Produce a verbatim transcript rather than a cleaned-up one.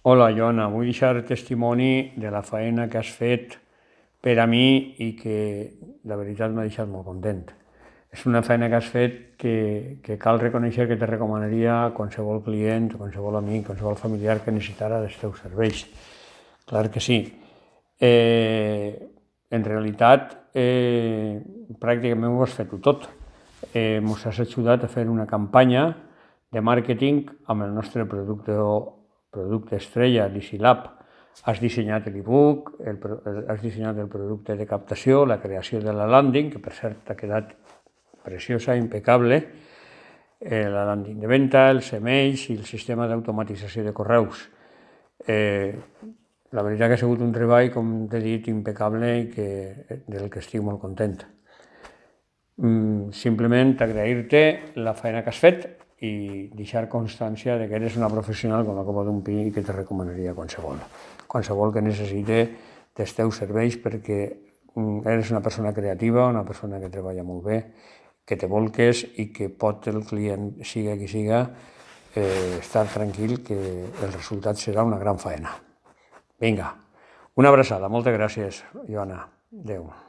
Hola, Joana, vull deixar testimoni de la feina que has fet per a mi i que la veritat m'ha deixat molt content. És una feina que has fet que, que cal reconèixer que te recomanaria a qualsevol client, a qualsevol amic, a qualsevol familiar que necessitara dels teus serveis. Clar que sí. Eh, en realitat, eh, pràcticament ho has fet tu tot. Eh, Ens has ajudat a fer una campanya de màrqueting amb el nostre producte, producte estrella, DiciLab. Has dissenyat l'e-book, el, has dissenyat el producte de captació, la creació de la landing, que per cert ha quedat preciosa, impecable, eh, la landing de venda, els emails i el sistema d'automatització de correus. Eh, la veritat que ha sigut un treball, com t'he dit, impecable i que, del que estic molt content. Mm, simplement agrair-te la feina que has fet i deixar constància de que eres una professional com la copa d'un pi i que te recomanaria a qualsevol. Qualsevol que necessite dels teus serveis, perquè eres una persona creativa, una persona que treballa molt bé, que te volques i que pot el client, siga qui siga, eh, estar tranquil que el resultat serà una gran faena. Vinga, una abraçada, moltes gràcies, Joana. Adéu.